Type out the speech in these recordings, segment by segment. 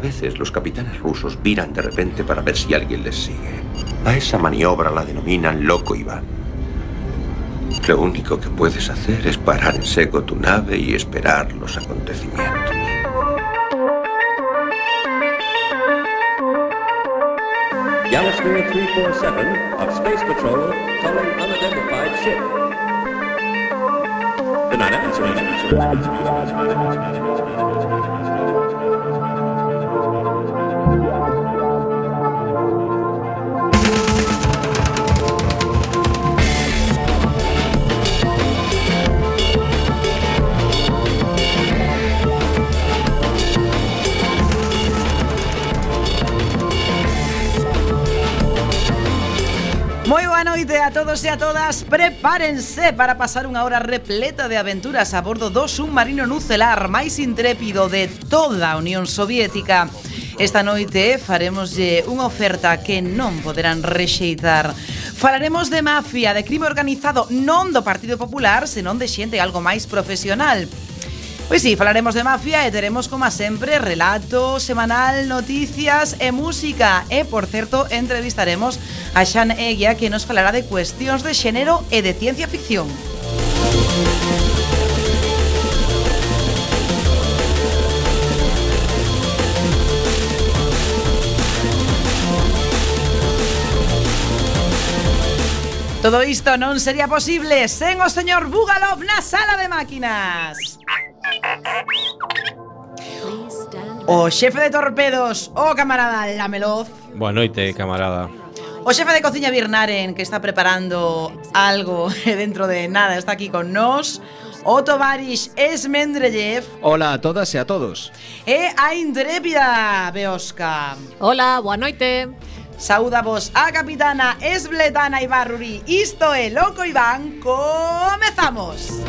veces los capitanes rusos viran de repente para ver si alguien les sigue. A esa maniobra la denominan Loco Iván. Lo único que puedes hacer es parar en seco tu nave y esperar los acontecimientos. Galasphere 347 of Space Patrol calling unidentified ship. Good night, Moi boa noite a todos e a todas. Prepárense para pasar unha hora repleta de aventuras a bordo do submarino nucelar máis intrépido de toda a Unión Soviética. Esta noite faremoslle unha oferta que non poderán rexeitar. Falaremos de mafia, de crime organizado, non do Partido Popular, senón de xente algo máis profesional. Pois sí, falaremos de mafia e teremos, como sempre, relato semanal, noticias e música. E, por certo, entrevistaremos a Xan Eguia, que nos falará de cuestións de xénero e de ciencia ficción. Todo isto non sería posible sen o señor Bugalov na sala de máquinas. O xefe de torpedos, o camarada Lameloz. Boa noite, camarada. O xefe de cociña Birnaren, que está preparando algo dentro de nada, está aquí con nós. O tovarish Esmendrellev. Hola a todas e a todos. E a intrépida Beosca. Hola, boa noite. Saúdavos a capitana Esbletana Ibarruri. Isto é Loco Iván. Comezamos.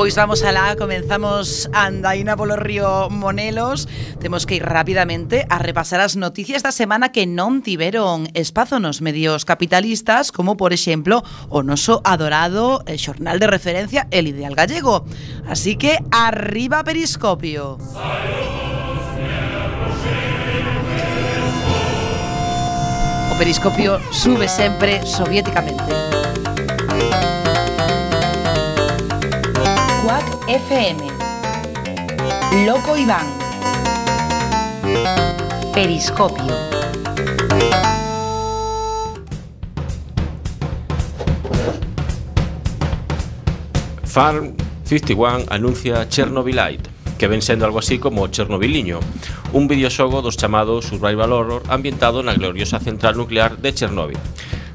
Pois vamos alá, comenzamos a andaina polo río Monelos. Temos que ir rapidamente a repasar as noticias da semana que non tiveron espazo nos medios capitalistas, como por exemplo o noso adorado xornal de referencia El Ideal Gallego. Así que arriba Periscopio. O Periscopio sube sempre soviéticamente. FM, Loco Iván, Periscopio. Farm 51 anuncia Chernobylite, que ven sendo algo así como Chernobyliño, un videoxogo dos chamados Survival Horror ambientado na gloriosa central nuclear de Chernobyl.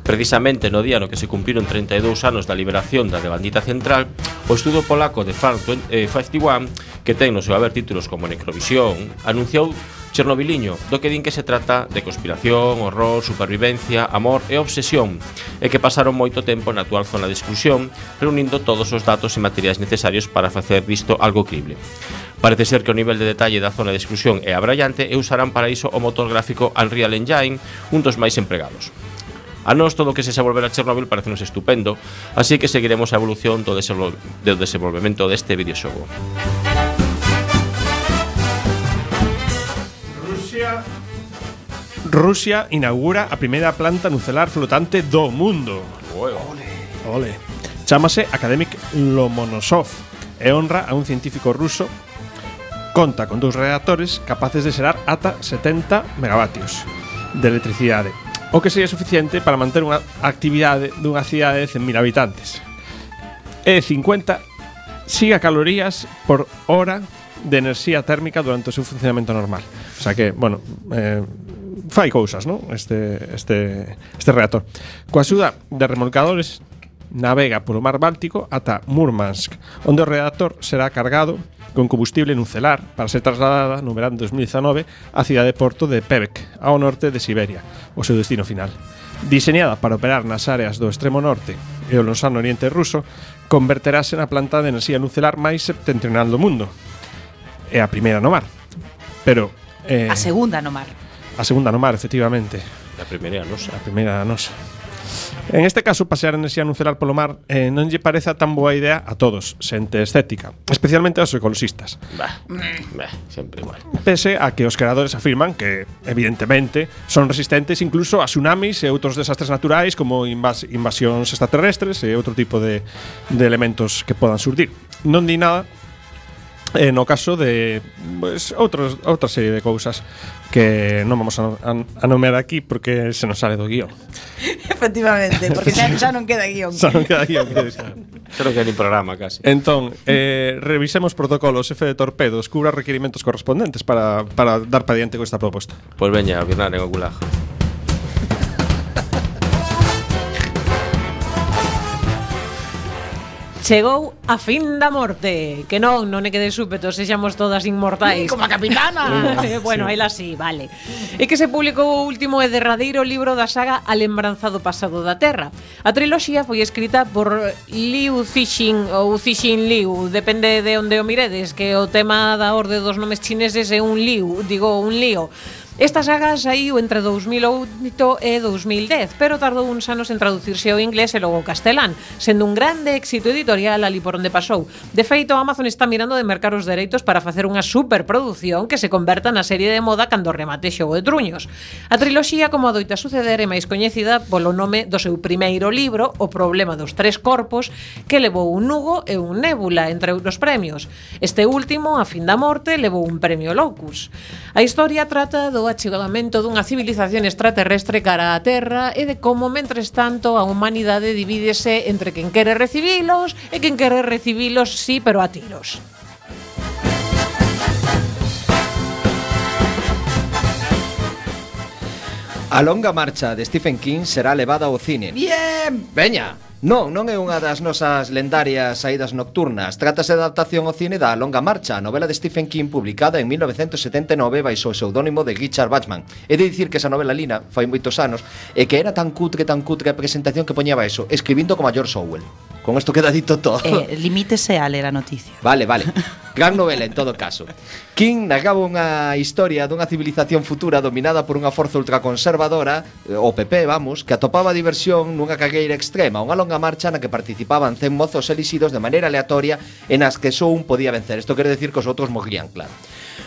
Precisamente no día no que se cumpriron 32 anos da liberación da devandita central, o estudo polaco de Farm 51, que ten no seu haber títulos como Necrovisión, anunciou Chernobyliño, do que din que se trata de conspiración, horror, supervivencia, amor e obsesión, e que pasaron moito tempo na actual zona de exclusión, reunindo todos os datos e materiais necesarios para facer disto algo crible. Parece ser que o nivel de detalle da zona de exclusión é abrallante e usarán para iso o motor gráfico Unreal Engine, un dos máis empregados. A nós todo o que se volver a Chernobyl parecenos estupendo, así que seguiremos a evolución do desenvolvemento deste videoxogo. Rusia inaugura a primeira planta nucelar flotante do mundo. Ole. Chámase Akademik Lomonosov e honra a un científico ruso. Conta con 2 reactores capaces de xerar ata 70 megavatios de electricidade, o que sería suficiente para manter unha actividade dunha cidade de 100.000 habitantes. E 50 siga calorías por hora de enerxía térmica durante o seu funcionamento normal. O sea que, bueno, fai cousas, non? Este reactor. Coa axuda de remolcadores navega polo mar Báltico ata Murmansk, onde o reactor será cargado con combustible nucelar para ser trasladada no verán de 2019 á cidade de Porto de Pevek, ao norte de Siberia, o seu destino final. Diseñada para operar nas áreas do extremo norte e o lonsano oriente ruso, converterase na planta de enerxía nucelar máis septentrional do mundo. É a primeira no mar. Pero a segunda no mar. A segunda no mar, efectivamente. A primeira nosa. A primeira nosa. En este caso, pasear enerxía nucelar polo mar non lle pareza tan boa idea a todos, xente escéptica, especialmente aos ecoloxistas. Sempre igual. Pese a que os creadores afirman que, evidentemente, son resistentes incluso a tsunamis e outros desastres naturais como invasións extraterrestres e outro tipo de elementos que podan surdir. Non di nada no caso de outra serie de cousas que non vamos a nomear aquí porque se nos sale do guión. Efectivamente, porque xa non queda guión. Xa non queda guión. Xa non queda ni programa casi. Entón, revisemos protocolos, F de torpedos, cubra requerimentos correspondentes para dar para diante con esta proposta. Pois veña, a birnar en o gulag. Chegou a fin da morte. Que non é que de súpeto sexamos todas inmortais. Como a capitana. Bueno, ela sí, vale. É que se publicou o último e derradeiro libro da saga A lembranza do pasado da Terra. A triloxía foi escrita por Liu Cixin ou Cixin Liu, depende de onde o miredes, que o tema da orde dos nomes chineses é un lío. Esta saga saiu entre 2008 e 2010, pero tardou uns anos en traducirse ao inglés e logo ao castelán, sendo un grande éxito editorial ali por onde pasou. De feito, Amazon está mirando de mercar os dereitos para facer unha superproducción que se converta na serie de moda cando remate Xogo de Truños. A triloxía, como adoita suceder, é máis coñecida polo nome do seu primeiro libro, O problema dos tres corpos, que levou un Hugo e un Nébula, entre outros premios. Este último, A fin da morte, levou un premio Locus. A historia trata do achegamento dunha civilización extraterrestre cara á Terra e de como, mentres tanto, a humanidade divídese entre quen quere recibilos e quen quere recibilos, sí, pero a tiros. A longa marcha de Stephen King será levada ao cine. Bien. Veña. Non é unha das nosas lendarias saídas nocturnas. Trátase de adaptación ao cine da Longa Marcha, a novela de Stephen King publicada en 1979 baixo o pseudónimo de Richard Bachman. É de dicir que esa novela lina fai moitos anos e que era tan cutre a presentación que poñaba eso, escribindo como a George Orwell. Con isto queda dito todo. Limítese a ler a noticia. Vale. Gran novela en todo caso. King narraba unha historia dunha civilización futura dominada por unha forza ultraconservadora, o PP, vamos, que atopaba diversión nunha carreira extrema, unha longa marcha na que participaban 100 mozos elixidos de maneira aleatoria e nas que só un podía vencer. Isto quere decir que os outros morrían, claro.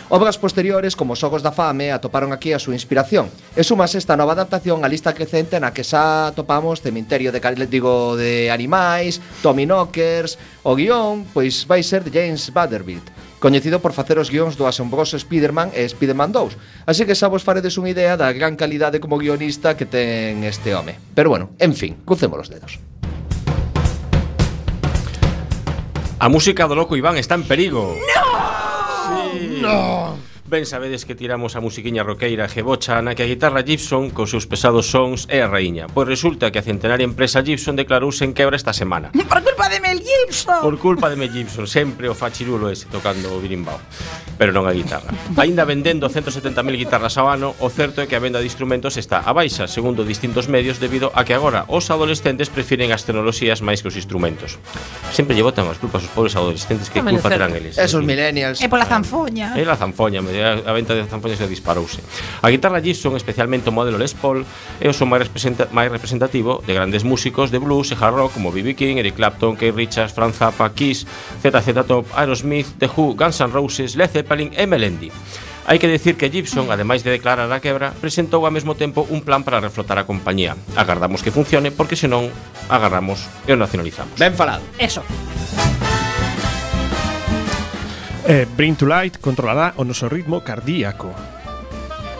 Obras posteriores, como Os Xogos da Fame, atoparon aquí a súa inspiración. E sumase esta nova adaptación a lista crecente na que xa atopamos Cementerio de Animais, Tommy Knockers. O guión, pois vai ser de James Vanderbilt, coñecido por facer os guións do asombroso Spider-Man e Spider-Man 2. Así que xa vos faredes unha idea da gran calidade como guionista que ten este home. Pero bueno, en fin, crucemos os dedos. A música do loco Iván está en perigo. ¡No! Sí. No. Ben sabedes que tiramos a musiquiña roqueira Gebocha na que a guitarra Gibson cos seus pesados sons é a raíña. Pois resulta que a centenaria empresa Gibson declarouse en quebra esta semana. Por culpa de Mel Gibson. Por culpa de Mel Gibson, sempre o fachirulo ese tocando o birimbao, pero non a guitarra. Aínda vendendo 170.000 guitarras ao ano, o certo é que a venda de instrumentos está a baixa, segundo distintos medios, debido a que agora os adolescentes prefiren as tecnoloxías máis que os instrumentos. Sempre lle botan as culpas aos pobres adolescentes, que culpa terán eles. Esos millennials. É pola zanfoña. É la zanfoña, a venta de zanfoñas se disparouse. A guitarra Gibson, especialmente o modelo Les Paul, é o son máis representativo de grandes músicos de blues e hard rock como B.B. King, Eric Clapton, Keith Richards, Frank Zappa, Kiss, ZZ Top, Aerosmith, The Who, Guns N' Roses, Led Zeppelin e Melendi. Hai que decir que Gibson, ademais de declarar a quebra, presentou ao mesmo tempo un plan para reflotar a compañía. Agardamos que funcione, porque senón agarramos e o nacionalizamos. Ben falado. Eso. Bring to Light controlará o noso ritmo cardíaco.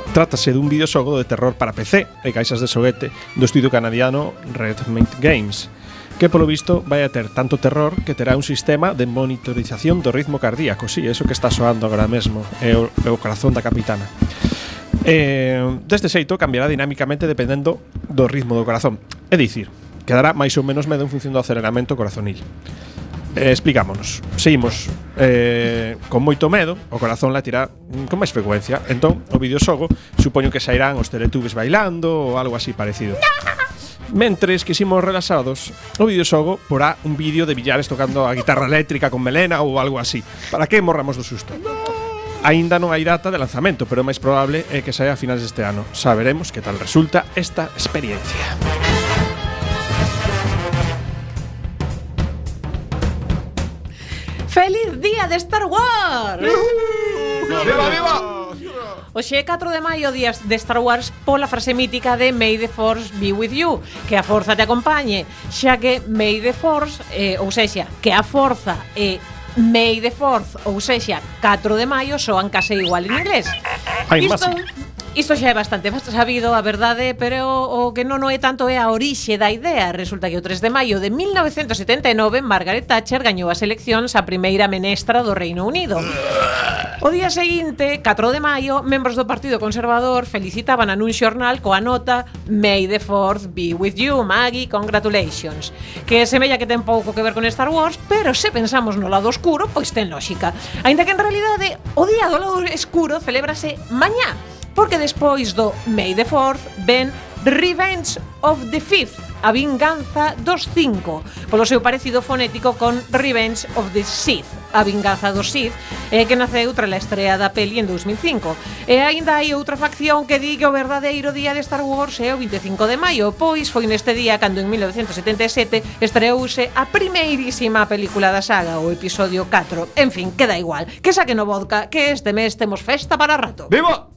Trátase dun videoxogo de terror para PC e caixas de xoguete do estudio canadiano Redmate Games. que polo visto vai a ter tanto terror que terá un sistema de monitorización do ritmo cardíaco. Sí, eso que está soando agora mesmo é o corazón da capitana. Deste xeito cambiará dinámicamente dependendo do ritmo do corazón. É dicir, quedará máis ou menos medo en función do aceleramento corazonil. Explicámonos. Seguimos con moito medo, o corazón latirá con máis frecuencia. Entón, o videoxogo supoño que sairán os Teletubbies bailando ou algo así parecido. Mentres que ximos relaxados, o videoxogo porá un vídeo de Villares tocando a guitarra eléctrica con melena ou algo así, para que morramos do susto. Aínda non hai data de lanzamento, pero o máis probable é que saia a finales deste ano. Saberemos que tal resulta esta experiencia. ¡Feliz día de Star Wars! ¡Viva, viva! Hoxe é 4 de maio, día de Star Wars, pola frase mítica de May the Force be with you, que a forza te acompañe, xa que May the Force, ou sexa, que a forza é May the Fourth, ou sexa, 4 de maio, soan case igual en inglés. Isto xa é bastante sabido, a verdade, pero o que non é tanto é a orixe da idea. Resulta que o 3 de maio de 1979 Margaret Thatcher gañou as eleccións a primeira menestra do Reino Unido. O día seguinte, 4 de maio, membros do Partido Conservador felicitaban a nun xornal coa nota May the Fourth be with you, Maggie, congratulations. Que semella que ten pouco que ver con Star Wars, pero se pensamos no lado oscuro, pois ten lógica. Aínda que en realidade o día do lado escuro celébrase mañá, porque despois do May the Fourth ven Revenge of the Fifth, a vinganza dos 5, polo seu parecido fonético con Revenge of the Sith, a vinganza dos Sith, que naceu tras a estrea da peli en 2005. E aínda hai outra facción que di que o verdadeiro día de Star Wars é o 25 de maio, pois foi neste día cando en 1977 estreouse a primeirísima película da saga, o episodio 4. En fin, queda igual, que saquen o vodka, que este mes temos festa para rato. ¡Viva!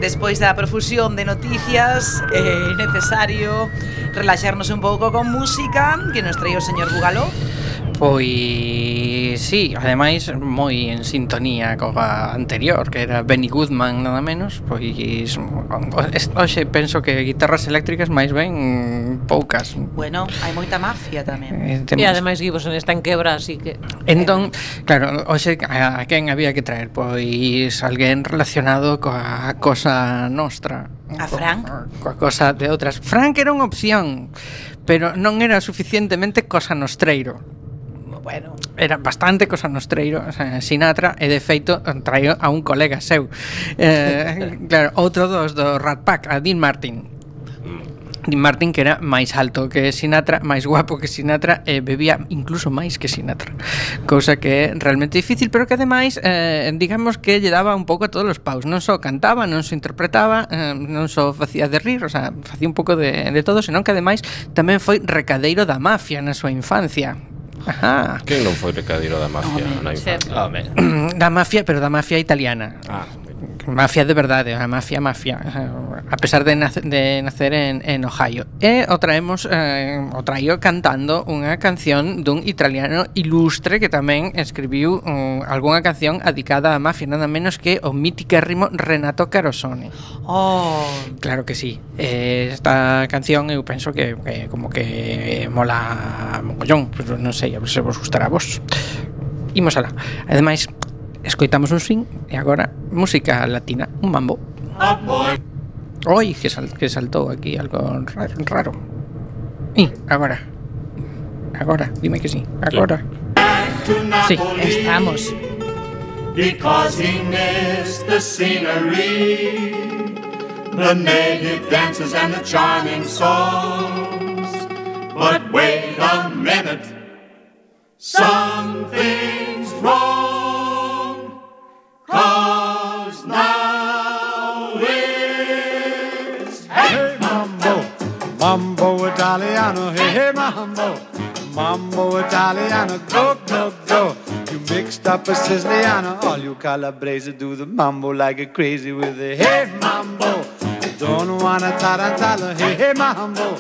Despois da profusión de noticias, é necesario relaxarnos un pouco con música que nos trae o señor Bugaló. Pois sí, ademais moi en sintonía coa anterior, que era Benny Goodman nada menos. Pois hoxe penso que guitarras eléctricas máis ben poucas. Bueno, hai moita mafia tamén. E ademais Gibbon está en quebra, así que entón, claro, hoxe a quen había que traer? Pois alguén relacionado coa cosa nostra. A Frank? Coa cosa de outras. Frank era unha opción, pero non era suficientemente cosa nostreiro. Bueno, era bastante cosa nostreiro, o sea, Sinatra, e de feito traio a un colega seu. Claro, outro do Rat Pack, a Dean Martin. Dean Martin, que era máis alto que Sinatra, máis guapo que Sinatra, e bebía incluso máis que Sinatra, cousa que é realmente difícil, pero que ademais digamos que lle daba un pouco a todos os paus. Non só cantaba, non só interpretaba, non só facía de rir, o sea, facía un pouco de todo, senón que ademais tamén foi recadeiro da mafia na súa infancia. Ajá. Que non foi recadeiro da mafia na infancia? Da mafia, pero da mafia italiana. Mafia de verdade, a mafia, a pesar de nacer en Ohio. E o traio cantando unha canción dun italiano ilustre que tamén escribiu algunha canción dedicada á mafia, nada menos que o míticérrimo Renato Carosone. Oh, claro que sí. Esta canción eu penso que como que mola mogollón, pero non sei, a ver se vos gustará a vos. Imos alá. Ademais, escoitamos un swing e agora música latina, un mambo. Oi, que saltou aquí algo raro. Agora, dime que sí. Agora. Sí, estamos. Because he missed the scenery, the native dances and the charming songs. But wait a minute, something's wrong, 'cause now it's hey mambo, mambo Italiano, hey mambo, mambo Italiano, go, go, go. You mixed up a Siciliano, all you Calabrese do the mambo like a crazy with a hey mambo. Don't wanna tarantella, hey mambo.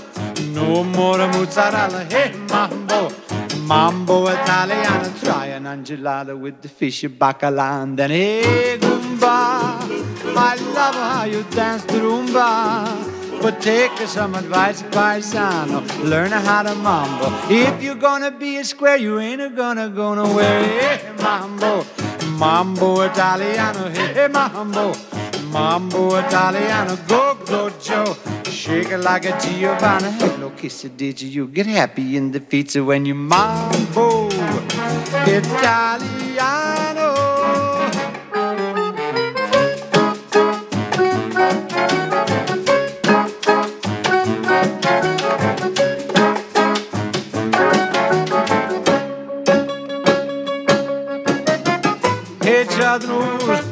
No more mozzarella, hey mambo. Mambo Italiano, try an angelada with the fish bacala and then hey Goomba. I love how you dance the rumba, but take some advice, paisano. Learn how to mambo. If you're gonna be a square, you ain't gonna go nowhere. Hey mambo, mambo Italiano, hey mambo. Mambo Italiano, go, go, Joe. Shake it like a Giovanna. Hello, kiss it, did you get happy in the pizza when you mambo Italiano? Hey, Chadnur,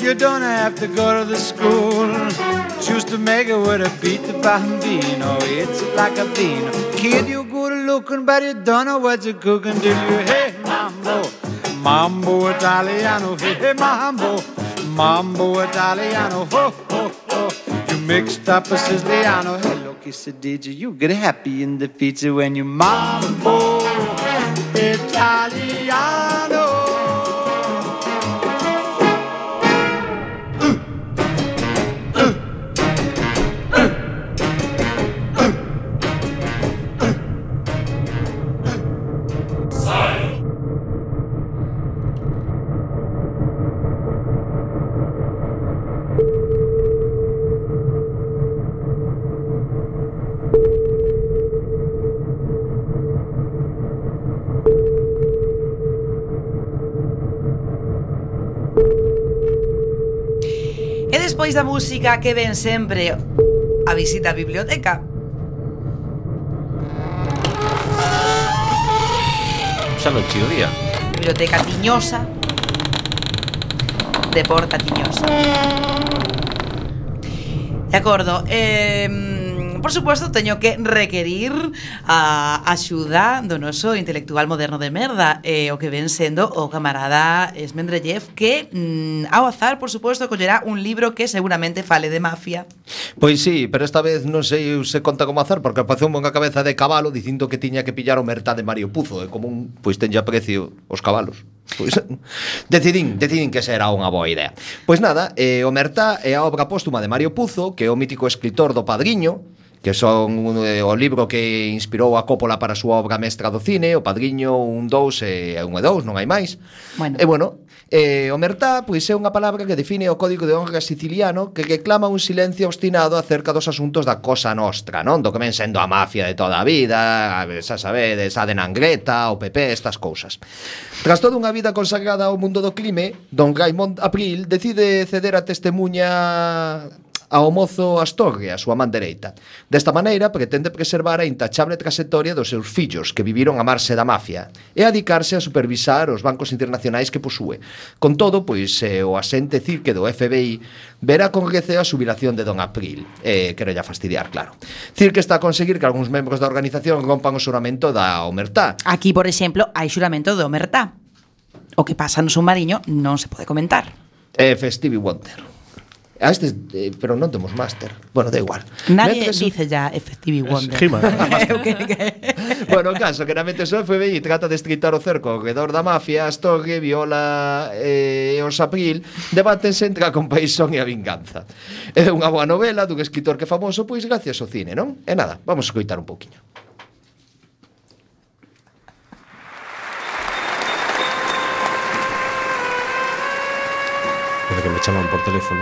you don't have to go to the school just to make it with a beat the bambino. It's like a vino. Kid, you good looking, but you don't know what you're cooking till you hey mambo, mambo Italiano, hey mambo, mambo Italiano, ho ho ho. You mixed up a Siciliano. Hello, kiss it, did you get happy in the pizza when you mambo Italiano? E despois da música que ven sempre a visita á biblioteca. Xa non chiro día. Biblioteca Tiñosa de Porta Tiñosa. De acordo. Por suposto, teño que requerir a axuda do noso intelectual moderno de merda, o que ven sendo o camarada Esmendrellev, que ao azar, por suposto, collerá un libro que seguramente fale de mafia. Pois sí, pero esta vez non sei se conta como azar, porque pasou unha cabeza de cabalo dicindo que tiña que pillar o Mertá de Mario Puzo, e como un, pois tenlla precio os cabalos. Pois decidín que será unha boa idea. Pois nada, o Mertá é a obra póstuma de Mario Puzo, que é o mítico escritor do Padriño, que son o libro que inspirou a Coppola para a súa obra mestra do cine, O Padriño 1, 2 e 1 e 2, non hai máis. Bueno. E bueno, o Mertá pois é unha palabra que define o código de honra siciliano que reclama un silencio obstinado acerca dos asuntos da Cosa Nostra, non? Do que ven sendo a mafia de toda a vida, xa sabedes, a de Nangreta, o PP, estas cousas. Tras toda unha vida consagrada ao mundo do crime, don Raimond Abril decide ceder a testemunha ao mozo Astorre, a súa man dereita. Desta maneira, pretende preservar a intachable trayectoria dos seus fillos, que viviron a marxe da mafia, e adicarse a supervisar os bancos internacionais que posúe. Con todo, pois, o asente cirque do FBI verá con receo a xubilación de don April. Quero ya fastidiar, claro. Cirque está a conseguir que algúns membros da organización rompan o xuramento da Omertá. Aquí, por exemplo, hai xuramento de Omertá. O que pasa no submarino non se pode comentar. Stevie Wonder. A este, pero non temos máster. Bueno, da igual. Nadie dice ya Stevie Wonder. Bueno, o caso que na mente o FBI trata de estritar o cerco ao redor da mafia, Astorre, Viola e os April debátense entre a compaixón e a vinganza. É unha boa novela dun escritor que é famoso, pois gracias ao cine, non? E nada, vamos a escoitar un pouquiño. Desde que me chaman por teléfono.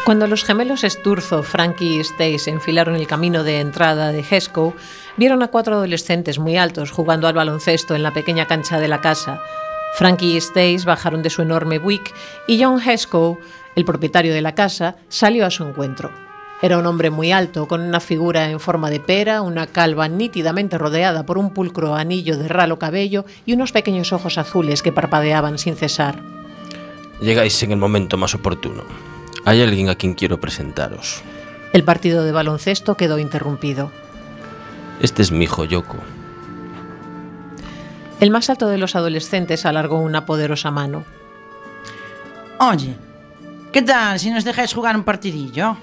Cuando los gemelos Sturzo, Frankie y Stace enfilaron el camino de entrada de Hesco, vieron a 4 adolescentes muy altos jugando al baloncesto en la pequeña cancha de la casa. Frankie y Stace bajaron de su enorme Buick y John Hesco, el propietario de la casa, salió a su encuentro. Era un hombre muy alto, con una figura en forma de pera, una calva nítidamente rodeada por un pulcro anillo de ralo cabello y unos pequeños ojos azules que parpadeaban sin cesar. Llegáis en el momento más oportuno. Hay alguien a quien quiero presentaros. El partido de baloncesto quedó interrumpido. Este es mi hijo Yoko. El más alto de los adolescentes alargó una poderosa mano. Oye, ¿qué tal si nos dejáis jugar un partidillo?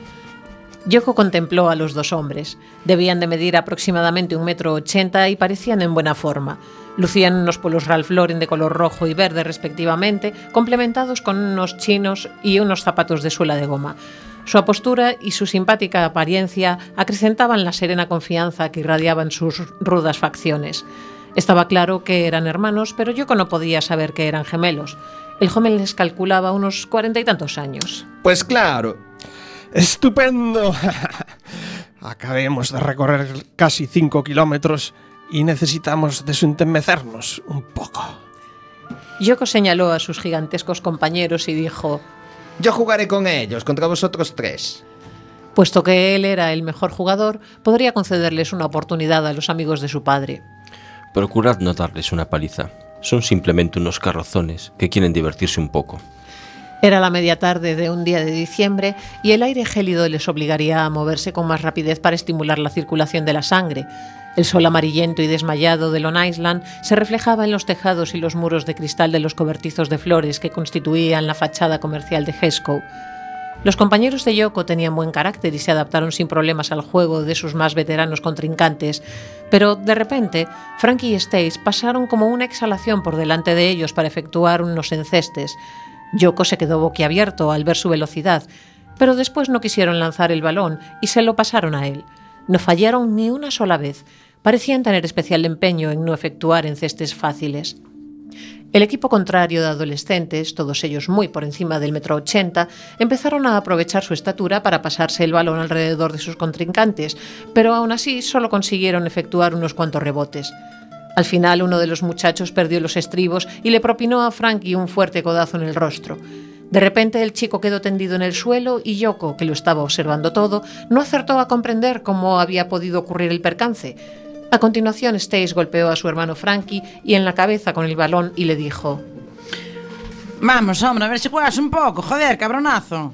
Yoko contempló a los dos hombres. Debían de medir aproximadamente 1,80 m y parecían en buena forma. Lucían unos polos Ralph Lauren de color rojo y verde respectivamente, complementados con unos chinos y unos zapatos de suela de goma. Su apostura y su simpática apariencia acrecentaban la serena confianza que irradiaban sus rudas facciones. Estaba claro que eran hermanos, pero Yoko no podía saber que eran gemelos. El joven les calculaba unos 40 y tantos años. Pues claro. ¡Estupendo! Acabemos de recorrer casi 5 kilómetros y necesitamos desentemecernos un poco. Yoko señaló a sus gigantescos compañeros y dijo: Yo jugaré con ellos, contra vosotros 3. Puesto que él era el mejor jugador, podría concederles una oportunidad a los amigos de su padre. Procurad no darles una paliza. Son simplemente unos carrozones que quieren divertirse un poco. Era la media tarde de un día de diciembre y el aire gélido les obligaría a moverse con más rapidez para estimular la circulación de la sangre. El sol amarillento y desmayado de Long Island se reflejaba en los tejados y los muros de cristal de los cobertizos de flores que constituían la fachada comercial de Hesco. Los compañeros de Yoko tenían buen carácter y se adaptaron sin problemas al juego de sus más veteranos contrincantes, pero de repente Frankie y Stace pasaron como una exhalación por delante de ellos para efectuar unos encestes. Yoko se quedó boquiabierto al ver su velocidad, pero después no quisieron lanzar el balón y se lo pasaron a él. No fallaron ni una sola vez. Parecían tener especial empeño en no efectuar encestes fáciles. El equipo contrario de adolescentes, todos ellos muy por encima del 1,80 m, empezaron a aprovechar su estatura para pasarse el balón alrededor de sus contrincantes, pero aún así solo consiguieron efectuar unos cuantos rebotes. Al final, uno de los muchachos perdió los estribos y le propinó a Frankie un fuerte codazo en el rostro. De repente, el chico quedó tendido en el suelo y Yoko, que lo estaba observando todo, no acertó a comprender cómo había podido ocurrir el percance. A continuación, Stace golpeó a su hermano Frankie y en la cabeza con el balón y le dijo: Vamos, hombre, a ver si juegas un poco, joder, cabronazo.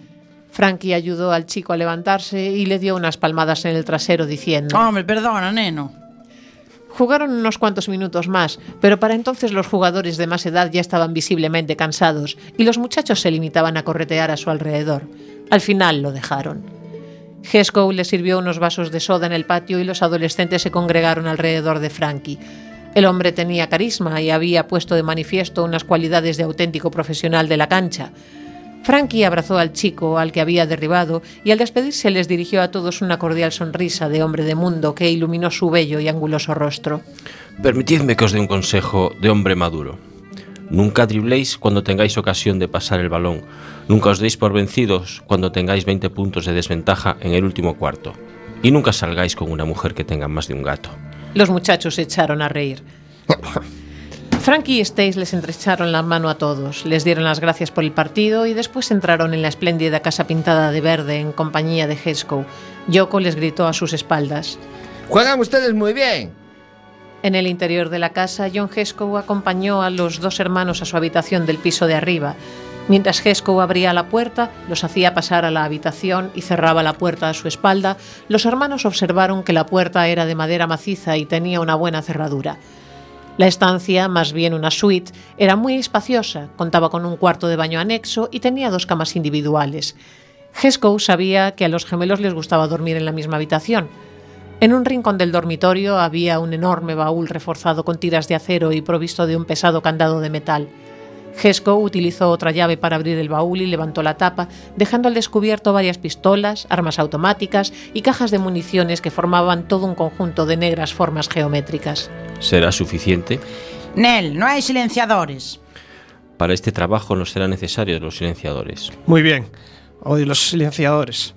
Frankie ayudó al chico a levantarse y le dio unas palmadas en el trasero diciendo: Hombre, perdona, neno. Jugaron unos cuantos minutos más, pero para entonces los jugadores de más edad ya estaban visiblemente cansados y los muchachos se limitaban a corretear a su alrededor. Al final lo dejaron. Hesco le sirvió unos vasos de soda en el patio y los adolescentes se congregaron alrededor de Frankie. El hombre tenía carisma y había puesto de manifiesto unas cualidades de auténtico profesional de la cancha. Frankie abrazó al chico al que había derribado y al despedirse les dirigió a todos una cordial sonrisa de hombre de mundo que iluminó su bello y anguloso rostro. Permitidme que os dé un consejo de hombre maduro. Nunca dribléis cuando tengáis ocasión de pasar el balón. Nunca os deis por vencidos cuando tengáis 20 puntos de desventaja en el último cuarto. Y nunca salgáis con una mujer que tenga más de un gato. Los muchachos se echaron a reír. Frankie y Stace les estrecharon la mano a todos, les dieron las gracias por el partido y después entraron en la espléndida casa pintada de verde en compañía de Hesco. Yoko les gritó a sus espaldas: ¡Juegan ustedes muy bien! En el interior de la casa, John Hesco acompañó a los dos hermanos a su habitación del piso de arriba. Mientras Hesco abría la puerta, los hacía pasar a la habitación y cerraba la puerta a su espalda, los hermanos observaron que la puerta era de madera maciza y tenía una buena cerradura. La estancia, más bien una suite, era muy espaciosa, contaba con un cuarto de baño anexo y tenía 2 camas individuales. Hesco sabía que a los gemelos les gustaba dormir en la misma habitación. En un rincón del dormitorio había un enorme baúl reforzado con tiras de acero y provisto de un pesado candado de metal. Hesco utilizó otra llave para abrir el baúl y levantó la tapa, dejando al descubierto varias pistolas, armas automáticas y cajas de municiones que formaban todo un conjunto de negras formas geométricas. ¿Será suficiente? Nel, no hay silenciadores. Para este trabajo no serán necesarios los silenciadores. Muy bien. Odio los silenciadores.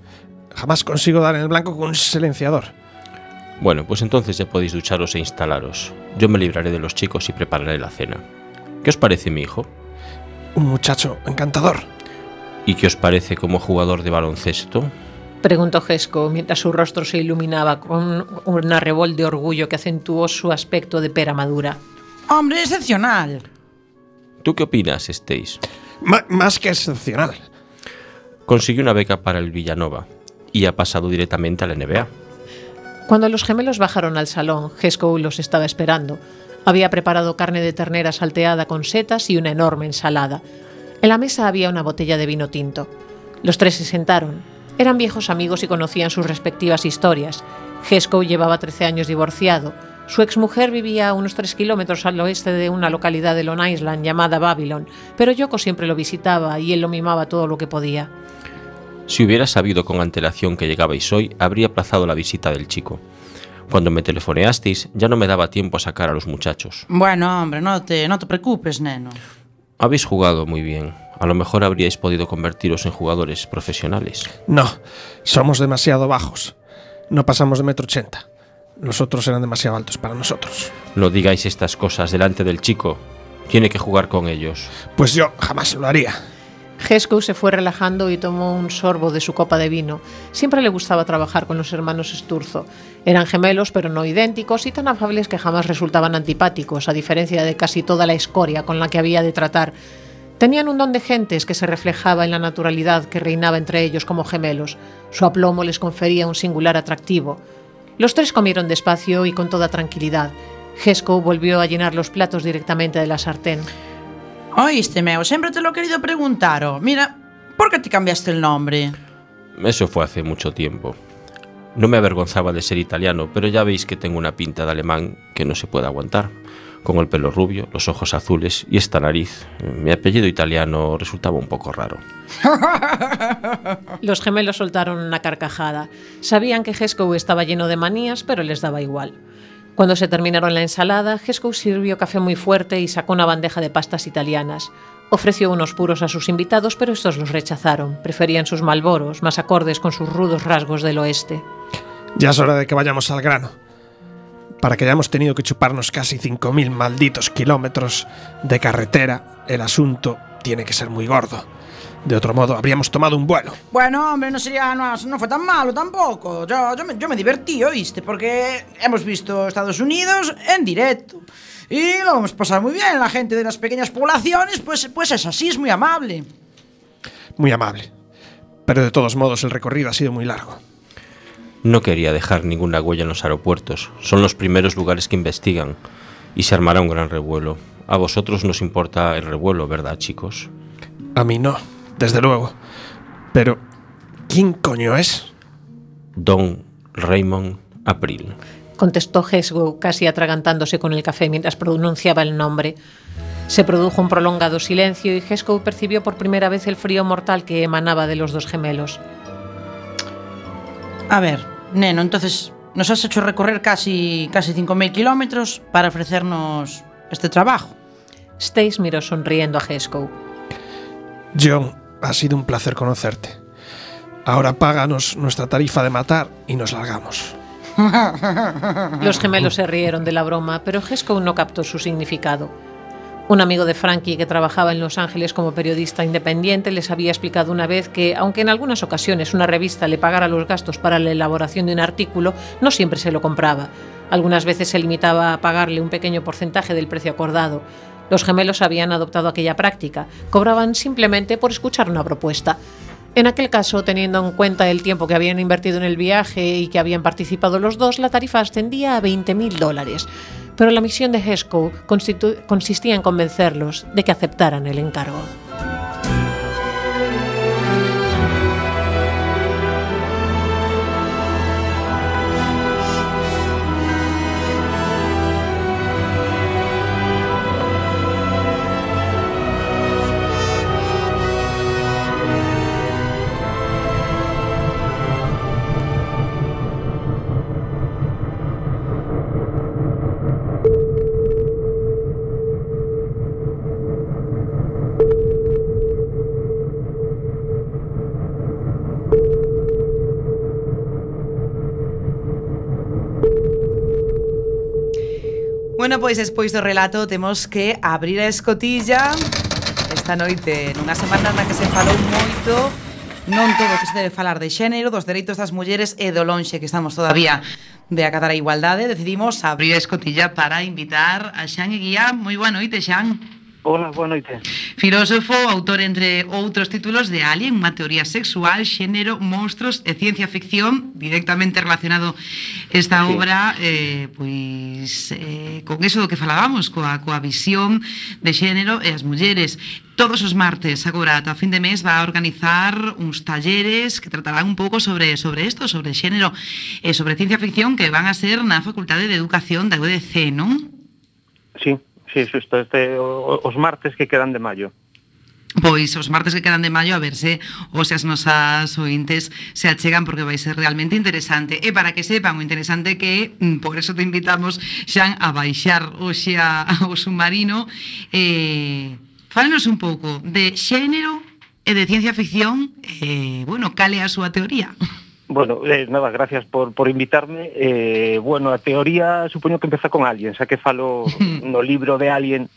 Jamás consigo dar en el blanco con un silenciador. Bueno, pues entonces ya podéis ducharos e instalaros. Yo me libraré de los chicos y prepararé la cena. ¿Qué os parece mi hijo? Un muchacho encantador. ¿Y qué os parece como jugador de baloncesto? Preguntó Jesco mientras su rostro se iluminaba con un arrebol de orgullo que acentuó su aspecto de pera madura. Hombre, excepcional. ¿Tú qué opinas, Stace? Más que excepcional. Consiguió una beca para el Villanova y ha pasado directamente a la NBA. Cuando los gemelos bajaron al salón, Jesco los estaba esperando. Había preparado carne de ternera salteada con setas y una enorme ensalada. En la mesa había una botella de vino tinto. Los tres se sentaron. Eran viejos amigos y conocían sus respectivas historias. Jesco llevaba 13 años divorciado. Su exmujer vivía a unos 3 kilómetros al oeste de una localidad de Long Island llamada Babylon, pero Yoko siempre lo visitaba y él lo mimaba todo lo que podía. Si hubiera sabido con antelación que llegabais hoy, habría aplazado la visita del chico. Cuando me telefoneasteis, ya no me daba tiempo a sacar a los muchachos. Bueno, hombre, no te preocupes, neno. Habéis jugado muy bien. A lo mejor habríais podido convertiros en jugadores profesionales. No, somos demasiado bajos. No pasamos de 1,80 m. Los otros eran demasiado altos para nosotros. No digáis estas cosas delante del chico. Tiene que jugar con ellos. Pues yo jamás lo haría. Jesco se fue relajando y tomó un sorbo de su copa de vino. Siempre le gustaba trabajar con los hermanos Sturzo. Eran gemelos, pero no idénticos, y tan afables que jamás resultaban antipáticos, a diferencia de casi toda la escoria con la que había de tratar. Tenían un don de gentes que se reflejaba en la naturalidad que reinaba entre ellos como gemelos. Su aplomo les confería un singular atractivo. Los tres comieron despacio y con toda tranquilidad. Jesco volvió a llenar los platos directamente de la sartén. Oíste, Meo, siempre te lo he querido preguntar. Mira, ¿por qué te cambiaste el nombre? Eso fue hace mucho tiempo. No me avergonzaba de ser italiano, pero ya veis que tengo una pinta de alemán que no se puede aguantar. Con el pelo rubio, los ojos azules y esta nariz. Mi apellido italiano resultaba un poco raro. Los gemelos soltaron una carcajada. Sabían que Jesco estaba lleno de manías, pero les daba igual. Cuando se terminaron la ensalada, Jesco sirvió café muy fuerte y sacó una bandeja de pastas italianas. Ofreció unos puros a sus invitados, pero estos los rechazaron. Preferían sus Marlboros, más acordes con sus rudos rasgos del oeste. Ya es hora de que vayamos al grano. Para que hayamos tenido que chuparnos casi 5.000 malditos kilómetros de carretera, el asunto tiene que ser muy gordo. De otro modo, habríamos tomado un vuelo. Bueno, hombre, no fue tan malo tampoco. Yo me divertí, ¿oíste? Porque hemos visto Estados Unidos en directo. Y lo hemos pasado muy bien. La gente de las pequeñas poblaciones, pues es así, es muy amable. Muy amable. Pero de todos modos, el recorrido ha sido muy largo. No quería dejar ninguna huella en los aeropuertos. Son los primeros lugares que investigan. Y se armará un gran revuelo. A vosotros nos importa el revuelo, ¿verdad, chicos? A mí no, desde luego. Pero, ¿quién coño es? Don Raymond April, contestó Jesco, casi atragantándose con el café mientras pronunciaba el nombre. Se produjo un prolongado silencio y Jesco percibió por primera vez el frío mortal que emanaba de los dos gemelos. A ver, neno, entonces nos has hecho recorrer casi 5.000 kilómetros para ofrecernos este trabajo. Stace miró sonriendo a Jesco. John, ha sido un placer conocerte. Ahora páganos nuestra tarifa de matar y nos largamos. Los gemelos se rieron de la broma, pero Jesco no captó su significado. Un amigo de Frankie que trabajaba en Los Ángeles como periodista independiente les había explicado una vez que, aunque en algunas ocasiones una revista le pagara los gastos para la elaboración de un artículo, no siempre se lo compraba. Algunas veces se limitaba a pagarle un pequeño porcentaje del precio acordado. Los gemelos habían adoptado aquella práctica. Cobraban simplemente por escuchar una propuesta. En aquel caso, teniendo en cuenta el tiempo que habían invertido en el viaje y que habían participado los dos, la tarifa ascendía a $20,000. Pero la misión de Jesco consistía en convencerlos de que aceptaran el encargo. Bueno, pois despois do relato temos que abrir a escotilla esta noite nunha semana na que se falou moito Non todo que se debe falar de xénero, dos dereitos das mulleres e do lonxe que estamos todavía de acatar a igualdade, decidimos abrir a escotilla para invitar a Xan Eguía. Moi boa noite, Xan. Hola, boa noite. Filósofo, autor entre outros títulos de Alien, unha teoría sexual, xénero, monstros e ciencia ficción, directamente relacionado esta obra con eso do que falábamos, coa visión de xénero e as mulleres. Todos os martes, agora, ata fin de mes, va a organizar uns talleres que tratarán un pouco sobre isto, sobre xénero e sobre ciencia ficción, que van a ser na Facultade de Educación da UDC, non? Sí, xusto, os martes que quedan de maio. Pois os martes que quedan de maio, a ver se as nosas ointes se achegan, porque vai ser realmente interesante. E para que sepan o interesante que por eso te invitamos, Xan, a baixar hoxe ao submarino. Fálenos un pouco de xénero e de ciencia ficción, cal é a súa teoría? Bueno, nada, gracias por invitarme. A teoría supoño que empeza con Alien, xa que falo no libro de Alien,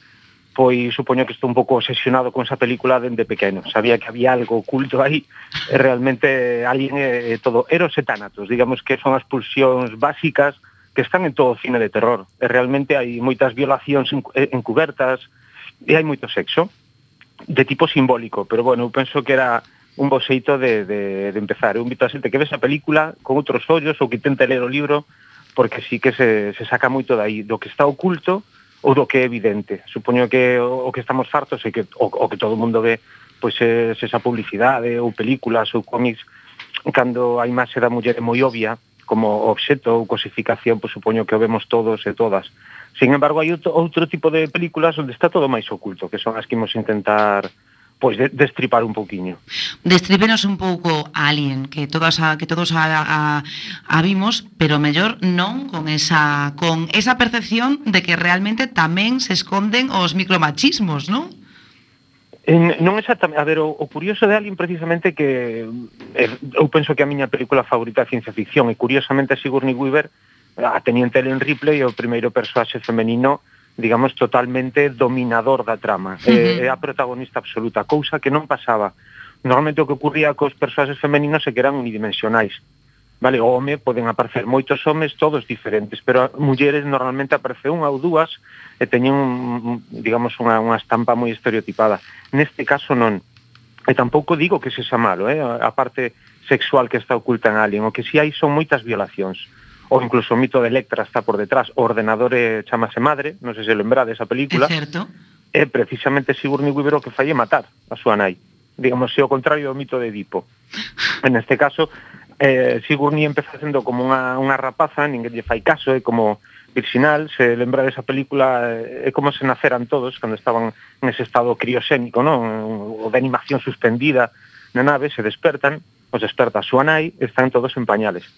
pois supoño que estou un pouco obsesionado con esa película dende pequeno. Sabía que había algo oculto aí, e realmente Alien é todo eros e tánatos, digamos que son as pulsións básicas que están en todo o cine de terror. E realmente hai moitas violacións encubertas, e hai moito sexo de tipo simbólico, pero bueno, eu penso que era un bo xeito de empezar. Eu invito a xente que ve esa película con outros ollos ou que tente ler o libro, porque sí que se saca moito dai, do que está oculto ou do que é evidente. Supoño que o que estamos fartos é que o que todo o mundo ve, pois é esa publicidade ou películas ou cómics, cando a imaxe da muller é moi obvia como obxeto ou cosificación, pois supoño que o vemos todos e todas. Sin embargo, hai outro tipo de películas onde está todo máis oculto, que son as que imos intentar destripar un pouquiño. Destrípenos un pouco Alien, que todos a vimos, pero mellor non con esa percepción de que realmente tamén se esconden os micromachismos, non? Non exactamente. A ver, o curioso de Alien precisamente que eu penso que a miña película favorita é ciencia ficción, e curiosamente Sigourney Weaver, a Teniente Ellen Ripley, é o primeiro persoaxe femenino, digamos, totalmente dominador da trama. É a protagonista absoluta, cousa que non pasaba. Normalmente o que ocurría cos persoaxes femeninos é que eran unidimensionais. Vale, o home, poden aparecer moitos homes, todos diferentes, pero as mulleres normalmente aparece unha ou dúas e teñen, digamos, unha estampa moi estereotipada. Neste caso non. E tampouco digo que sexa malo, a parte sexual que está oculta en Alien. O que si hai son moitas violacións. Ou incluso o mito de Electra está por detrás. O ordenador chamase Madre, non sei se lembrade esa película. É certo. É precisamente Sigourney Weaver o que fai matar a súa nai. Digamos, se o contrario do mito de Edipo. En este caso, Sigourney empeza sendo como unha rapaza, ninguén lle fai caso, é como virxinal. Se lembra desa película, é como se naceran todos cando estaban nese estado crioxénico, non? O de animación suspendida na nave, se despertan, os desperta a súa nai, están todos en pañales.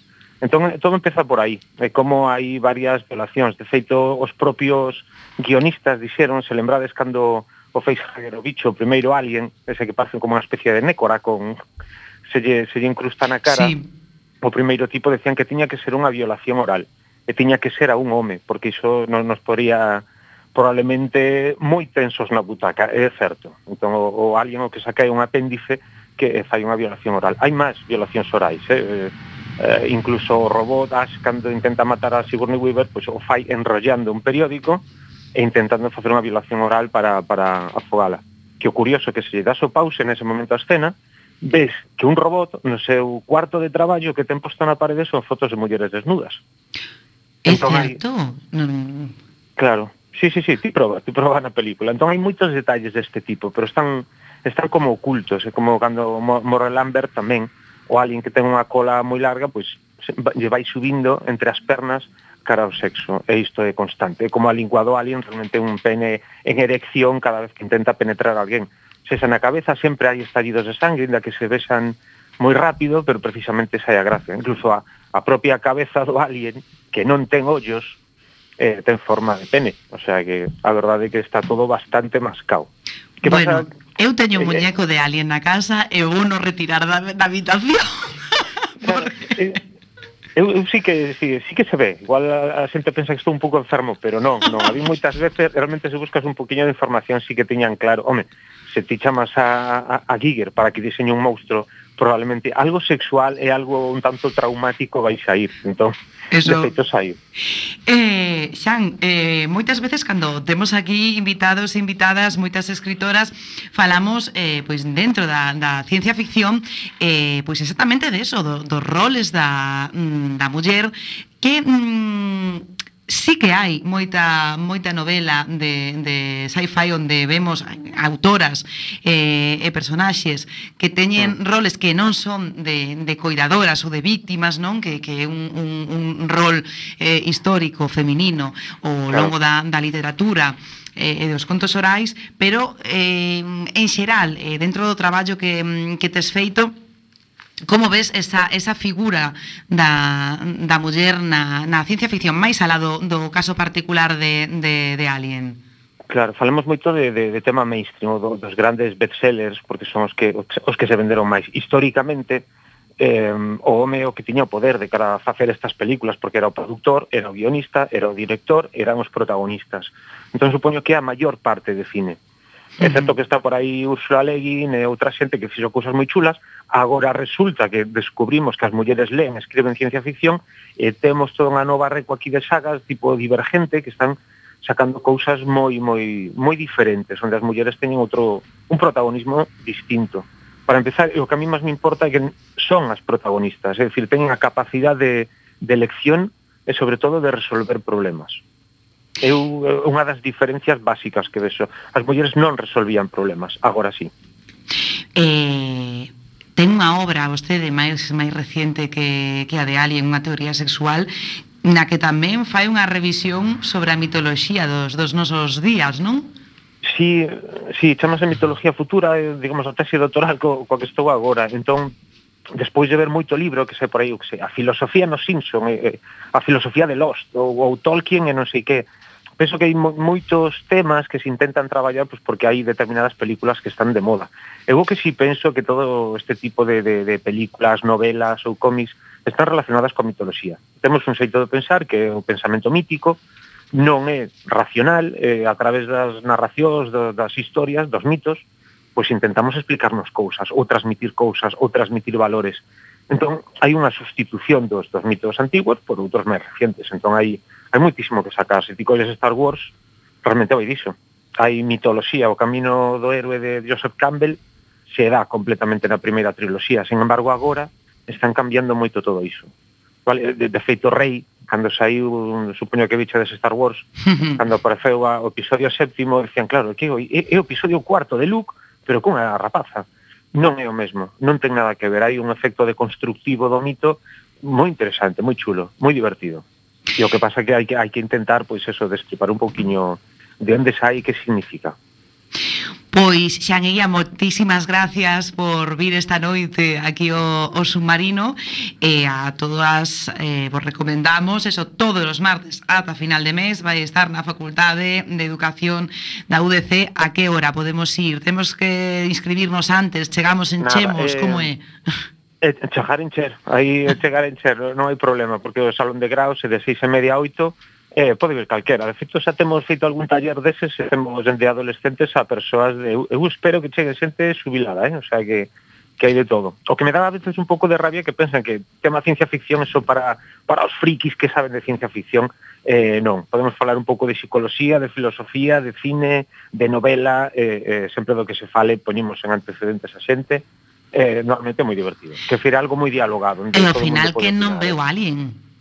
Entón, todo empeza por aí, como hai varias violacións. De feito, os propios guionistas dixeron, se lembrades cando o facehugger, o bicho, o primeiro alien, ese que parece como unha especie de nécora, se lle incrusta na cara, sí. O primeiro tipo decían que tiña que ser unha violación oral, e tiña que ser a un home, porque iso nos poría probablemente moi tensos na butaca, é certo. Entón, o alien o que saca é un apéndice que fai unha violación oral. Hai máis violacións orais, incluso o robot Ash, cando intenta matar a Sigourney Weaver, pois o fai enrollando un periódico e intentando facer unha violación oral para afogala. Que o curioso é que se lle das o pause nese momento a escena, ves que un robot no seu cuarto de traballo que ten posto na parede son fotos de mulleres desnudas. É certo? Claro, sí, ti proba na película. Entón hai moitos detalles deste tipo, pero están como ocultos, é como cando morre Lambert tamén, o alien que ten unha cola moi larga, pois lle vai subindo entre as pernas cara ao sexo, e isto é constante. É como a lingua do alien, realmente un pene en erección cada vez que intenta penetrar a alguén. Se na cabeza sempre hai estallidos de sangue, ainda que se besan moi rápido, pero precisamente esa é a gracia. Incluso a propia cabeza do alien, que non ten ollos, ten forma de pene. O sea que a verdade é que está todo bastante mascao. Que bueno, pasa? Eu teño un muñeco de alien na casa e vou no retirar da habitación. Eu sí que se ve. Igual a xente pensa que estou un pouco enfermo, pero non. A mí moitas veces, realmente se buscas un poquinho de información, sí que teñan claro. Home, se ti chamas a Giger para que diseñe un monstro, probablemente algo sexual e algo un tanto traumático vai sair. Entón, Eso. de feito saiu. Xan, moitas veces cando temos aquí invitados e invitadas, moitas escritoras, falamos pois dentro da ciencia ficción pois exactamente de eso, dos roles da muller que sí que hai moita novela de sci-fi onde vemos autoras e personaxes que teñen roles que non son de coidadoras ou de víctimas, non? Que é un rol histórico feminino ao longo da literatura e dos contos orais, pero en xeral, dentro do traballo que tes feito, como ves esa figura da muller na ciencia ficción, máis alá do caso particular de Alien? Claro, falamos moito de tema mainstream, dos grandes bestsellers, porque son os que se venderon máis. Históricamente, o home o que tiña o poder de cara a facer estas películas, porque era o produtor, era o guionista, era o director, eran os protagonistas. Entón, supoño que a maior parte de cine. Excepto que está por aí Úrsula Le Guin e outra xente que fixo cousas moi chulas. Agora resulta que descubrimos que as mulleres leen, escriben ciencia ficción e temos toda unha nova reco aquí de sagas tipo Divergente que están sacando cousas moi diferentes, onde as mulleres teñen un protagonismo distinto. Para empezar, o que a mí máis me importa é que son as protagonistas, é dicir, teñen a capacidade de elección e sobre todo de resolver problemas. É unha das diferencias básicas que vexo. As mulleres non resolvían problemas, agora sí. Ten unha obra, vostede, máis reciente que a de Alien, unha teoría sexual, na que tamén fai unha revisión sobre a mitoloxía dos nosos días, non? Sí, chamase Mitología Futura, digamos, a tese doutoral coa que estou agora. Entón, despois de ver moito libro, que sei por aí, a filosofía nos Simpson, a filosofía de Lost, ou Tolkien e non sei que, penso que hai moitos temas que se intentan traballar pois porque hai determinadas películas que están de moda. Eu que si penso que todo este tipo de películas, novelas ou cómics están relacionadas coa mitoloxía. Temos un xeito de pensar que é o pensamento mítico, non é racional, a través das narracións, das historias, dos mitos, pois intentamos explicarnos cousas, ou transmitir valores. Entón, hai unha sustitución dos mitos antigos por outros máis recientes. Entón, hai moitísimo que sacar. Se ti colles Star Wars, realmente vai diso. Hai mitoloxía, o camino do héroe de Joseph Campbell se dá completamente na primeira triloxía. Sin embargo, agora están cambiando moito todo iso. Vale? De feito, Rey, cando saiu, supoño que bichedes Star Wars, cando apareceu o episodio 7º, decían, claro, que é o episodio 4 de Luke, pero cunha rapaza. Non é o mesmo, non ten nada que ver. Hai un efecto deconstructivo do mito moi interesante, moi chulo, moi divertido. E o que pasa é que hai que intentar, pois eso, destripar un pouquiño de onde sai e que significa. Pois, Xan Eguía, moitísimas gracias por vir esta noite aquí ao Submarino e a todas vos recomendamos eso, todos os martes ata final de mes vai estar na Facultade de Educación da UDC. A que hora podemos ir? Temos que inscribirnos antes, chegamos en Chemos, como é? Chegar en Cher, aí chegar en Cher non hai problema, porque o salón de graus é de 6:30 a 8. Pode vir calquera. De feito, xa temos feito algún taller deses e temos de adolescentes a persoas de... Eu espero que chegue xente subilada, o sea que hai de todo. O que me dá a veces un pouco de rabia que pensan que tema ciencia ficción é só para os frikis que saben de ciencia ficción. Non, podemos falar un pouco de psicología, de filosofía, de cine, de novela, sempre do que se fale poñemos en antecedentes a xente. Normalmente é moi divertido. Que fira algo moi dialogado. E ao final que non veo Alien.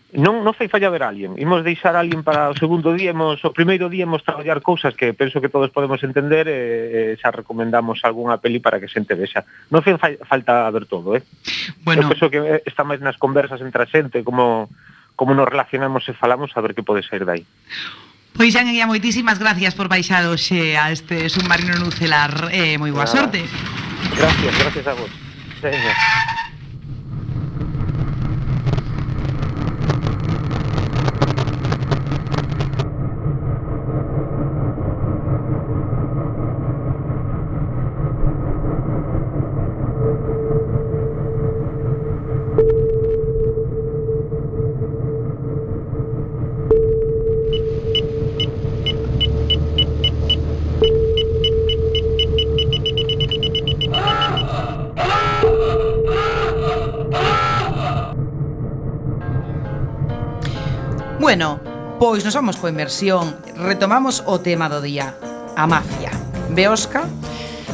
Non fai falla ver Alien. Imos deixar Alien para o segundo día, o primeiro día imos traballar cousas que penso que todos podemos entender e xa recomendamos algunha peli para que xente vexa. Non fai falta ver todo, Bueno. Eu penso que está máis nas conversas entre a xente, como nos relacionamos e falamos, a ver que pode sair dai. Pois, Xan Eguía, moitísimas gracias por baixar hoxe a este submarino nucelar. Moi boa sorte. Gracias a vos. Venga. Bueno, pois nos vamos coa inmersión. Retomamos o tema do día, a mafia. Beosca?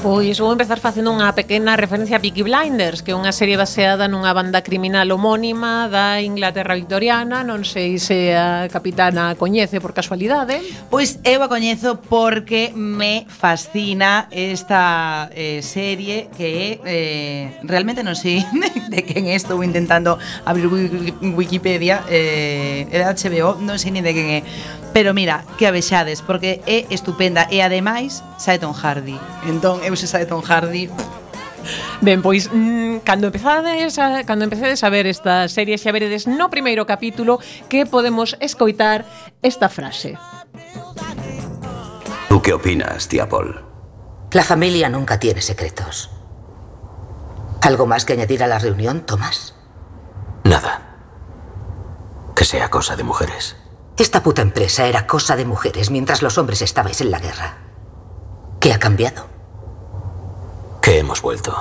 Pois vou empezar facendo unha pequena referencia a Peaky Blinders, que é unha serie baseada nunha banda criminal homónima da Inglaterra victoriana. Non sei se a capitana a coñece por casualidade. Pois eu a coñezo porque me fascina esta serie que realmente non sei de quen é. Estou intentando abrir Wikipedia, é de HBO, non sei nin de quen é. Pero mira, que avexades, porque é estupenda e ademais sae Tom Hardy. Entón, eu se sae Tom Hardy. Ben, pois cando empecedes a ver esta serie, xa veredes no primeiro capítulo que podemos escoitar esta frase. ¿Tú qué opinas, tía Paul? La familia nunca tiene secretos. ¿Algo más que añadir a la reunión, Tomás? Nada. Que sea cosa de mujeres. Esta puta empresa era cosa de mujeres mientras los hombres estabais en la guerra. ¿Qué ha cambiado? Que hemos vuelto.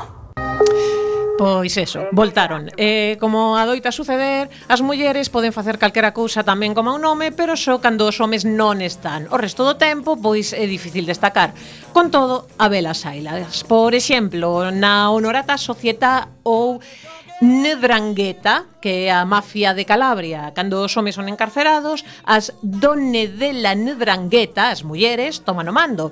Pois eso, voltaron. Como adoita suceder, as mulleres poden facer calquera cousa tamén como un home, pero só cando os homes non están. O resto do tempo, pois é difícil destacar. Con todo, habelas hailas. Por exemplo, na Honorata Società ou Ndrangheta, que é a mafia de Calabria. Cando os homes son encarcerados, as donne de la Ndrangheta, as mulleres, toman o mando.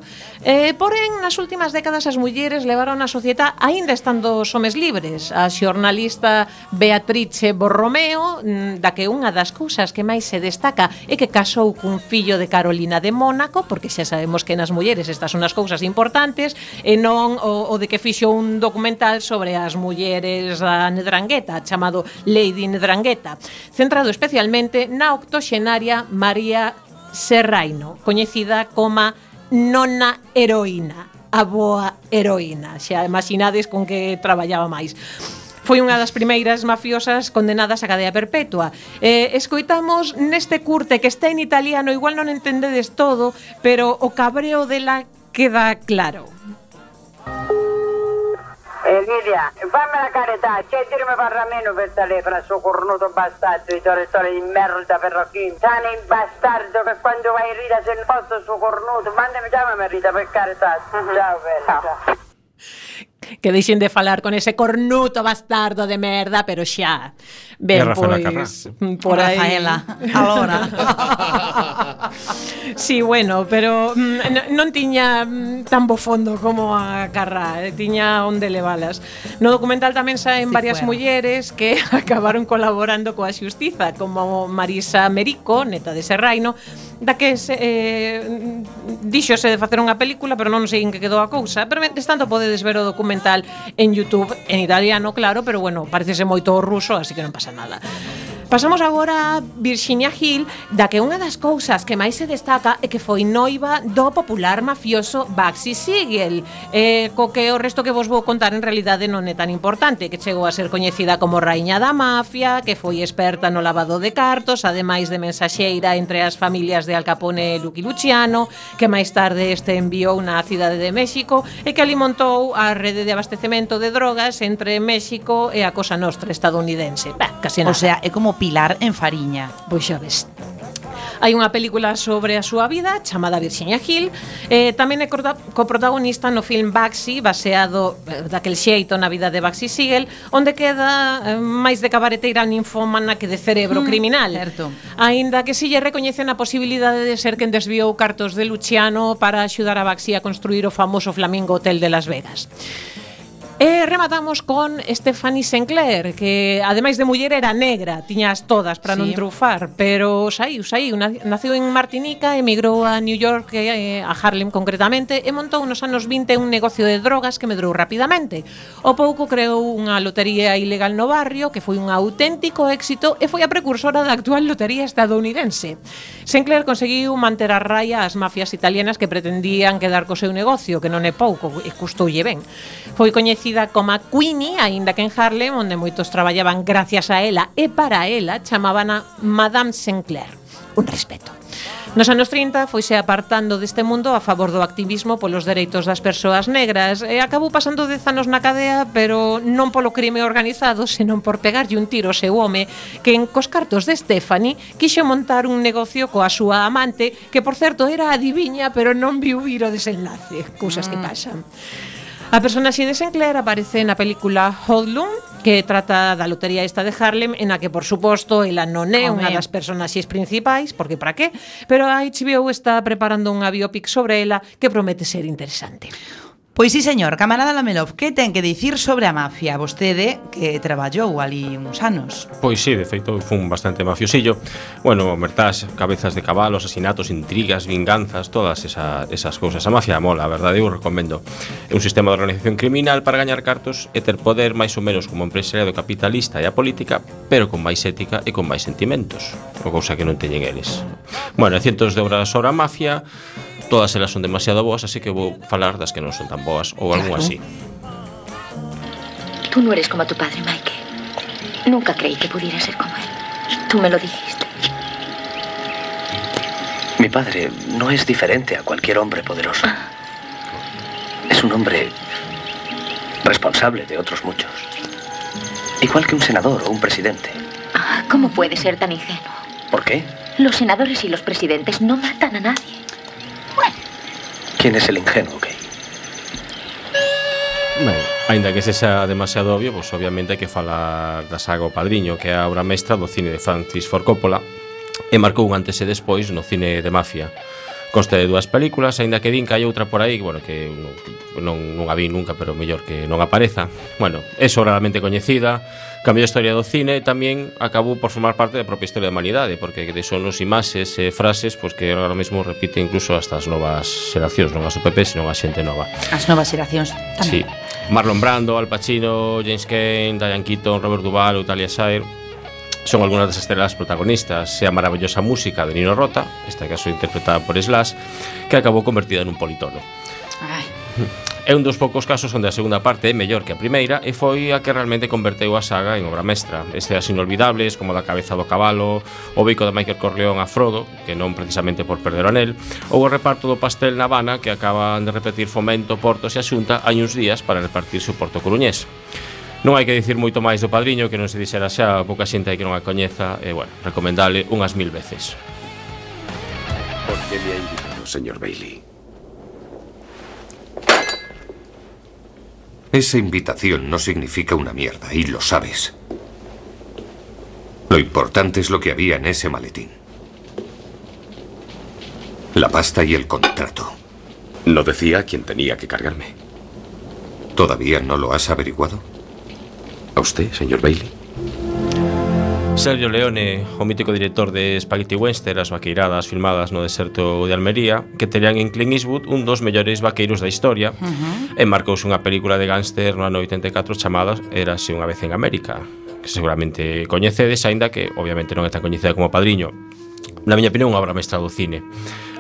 Porén, nas últimas décadas as mulleres levaron a sociedade aínda estando os homes libres. A xornalista Beatrice Borromeo, da que unha das cousas que máis se destaca é que casou cun fillo de Carolina de Mónaco, porque xa sabemos que nas mulleres estas son as cousas importantes, e non o de que fixo un documental sobre as mulleres da Ndrangheta, chamado Lady Ndrangheta, centrado especialmente na octoxenaria María Serraino, coñecida como Nona Heroína, a boa heroína. Xa imaginades con que traballaba máis. Foi unha das primeiras mafiosas condenadas a cadea perpetua. Escoitamos neste curte que está en italiano, igual non entendedes todo, pero o cabreo dela queda claro. Lidia, fammi la carità, c'è dirmi parla meno per telefono, sto cornuto bastardo, i torrettori di merda perrocchini, sani bastardo che quando vai in rita se non posso sto cornuto, mandami chiamami Rita per carità, ciao bella, ciao. Que deixen de falar con ese cornuto bastardo de merda, pero xa. Ben, pois, por aí. Rafaela, alora. Sí, bueno, pero non tiña tan bo fondo como a Carrá, tiña onde levalas. No documental tamén saen varias mulleres que acabaron colaborando coa xustiza, como Marisa Merico, neta de Serraino, da que díxose de facer unha película, pero non sei en que quedou a cousa. Pero mentres tanto podedes ver o documental en YouTube, en italiano, claro, pero bueno, parecese moito ruso, así que non pasa nada. Pasamos agora a Virginia Hill, da que unha das cousas que máis se destaca é que foi noiva do popular mafioso Bugsy Siegel, co que o resto que vos vou contar en realidade non é tan importante, que chegou a ser coñecida como raíña da mafia, que foi experta no lavado de cartos, ademais de mensaxeira entre as familias de Al Capone e Lucky Luciano, que máis tarde este enviou na cidade de México e que alimentou a rede de abastecemento de drogas entre México e a Cosa Nostra estadounidense. Casi nada. O sea, é como Pilar en Fariña. Pois xa ves. Hai unha película sobre a súa vida chamada Virginia Hill, tamén é coprotagonista no film Bugsy, baseado daquel xeito na vida de Bugsy Siegel, onde queda máis de cabareteira ninfómana que de cerebro criminal. Certo. Aínda que si lle recoñecen a posibilidade de ser quen desviou cartos de Luciano para axudar a Bugsy a construir o famoso Flamingo Hotel de Las Vegas. E rematamos con Stephanie Sinclair, que ademais de muller era negra, tiñas todas para non trufar, pero saiu, naceu en Martinica, emigrou a New York, a Harlem concretamente, e montou nos anos 20 un negocio de drogas que medrou rapidamente. O pouco creou unha lotería ilegal no barrio, que foi un auténtico éxito e foi a precursora da actual lotería estadounidense. Sinclair conseguiu manter a raya as mafias italianas que pretendían quedar co seu negocio, que non é pouco, e custoulle ben. Foi coñecida como a Queenie, aínda que en Harlem, onde moitos traballaban gracias a ela e para ela, chamábana Madame Sinclair. Un respeto. Nos anos 30 foise apartando deste mundo a favor do activismo polos dereitos das persoas negras e acabou pasando 10 anos na cadea, pero non polo crime organizado, senón por pegarlle un tiro ao seu home que en cos cartos de Stephanie quixo montar un negocio coa súa amante, que por certo era adiviña, pero non viu vir o desenlace, cousas que pasan. A personaxe de Sinclair aparece na película Hoodlum, que trata da lotería esta de Harlem, en a que, por suposto, ela non é unha das personaxes principais, porque para qué, pero a HBO está preparando unha biopic sobre ela que promete ser interesante. Pois sí, señor, camarada Lamelov, que ten que dicir sobre a mafia? Vostede que traballou ali uns anos. Pois sí, de feito, fun bastante mafiosillo. Bueno, mertás, cabezas de cabalo, asesinatos, intrigas, vinganzas, todas esas cousas. A mafia mola, a verdade, eu recomendo. É un sistema de organización criminal para gañar cartos e ter poder máis ou menos como empresariado capitalista e a política, pero con máis ética e con máis sentimentos, o cousa que non teñen eles. Bueno, cientos de obras sobre a mafia, todas elas son demasiado boas, así que vou falar das que non son tan boas, ou algo así. Tú no eres como tu padre, Mike. Nunca creí que pudiera ser como él. Tú me lo dijiste. Mi padre no es diferente a cualquier hombre poderoso. Es un hombre responsable de otros muchos. Igual que un senador o un presidente. ¿Cómo puede ser tan ingenuo? ¿Por qué? Los senadores y los presidentes no matan a nadie. ¿Quién es el ingenuo, Kay? Ben, aínda que sexa demasiado obvio, pois obviamente hai que falar da saga O Padriño, que é a obra mestra do cine de Francis Ford Coppola e marcou un antes e despois no cine de mafia. Consta de 2 películas, aínda que din que hai outra por aí, bueno, que non a vi nunca, pero mellor que non apareza. Bueno, é sobradamente coñecida, cambiou a historia do cine e tamén acabou por formar parte da propia historia da humanidade, porque son os imaxes e frases pois que agora mesmo repite incluso hasta as novas xeracións, non as do PP, senón a xente nova. As novas xeracións tamén. Sí. Marlon Brando, Al Pacino, James Cain, Diane Keaton, Robert Duvall ou Talia Shire son algunhas das estrelas protagonistas, e a maravillosa música de Nino Rota, esta caso interpretada por Slash, que acabou convertida nun politono. Ai. É un dos poucos casos onde a segunda parte é mellor que a primeira e foi a que realmente converteu a saga en obra mestra. Escenas inolvidables, como da cabeza do cabalo, o bico de Michael Corleone a Frodo, que non precisamente por perder o anel, ou o reparto do pastel na Habana, que acaban de repetir Fomento, Portos e a Xunta hai uns días para repartirse o Porto Coruñés. Non hai que dicir moito máis do Padriño, que non se dixera xa, pouca xente hai que non a coñeza, e, bueno, recomendable unhas 1000 veces. ¿Por qué me ha invitado, señor Bailey? Esa invitación no significa una mierda, y lo sabes. Lo importante es lo que había en ese maletín. La pasta y el contrato. ¿No decía quién tenía que cargarme? ¿Todavía no lo has averiguado? ¿A usted, señor Bailey? Sergio Leone, o mítico director de Spaghetti Western, as vaqueiradas filmadas no deserto de Almería, que terían en Clint Eastwood un dos mellores vaqueiros da historia, e marcouse unha película de gángster no ano 84 chamada Érase unha vez en América, que seguramente coñecedes, aínda que obviamente non é tan coñecida como Padriño. Na miña opinión, unha obra mestra do cine.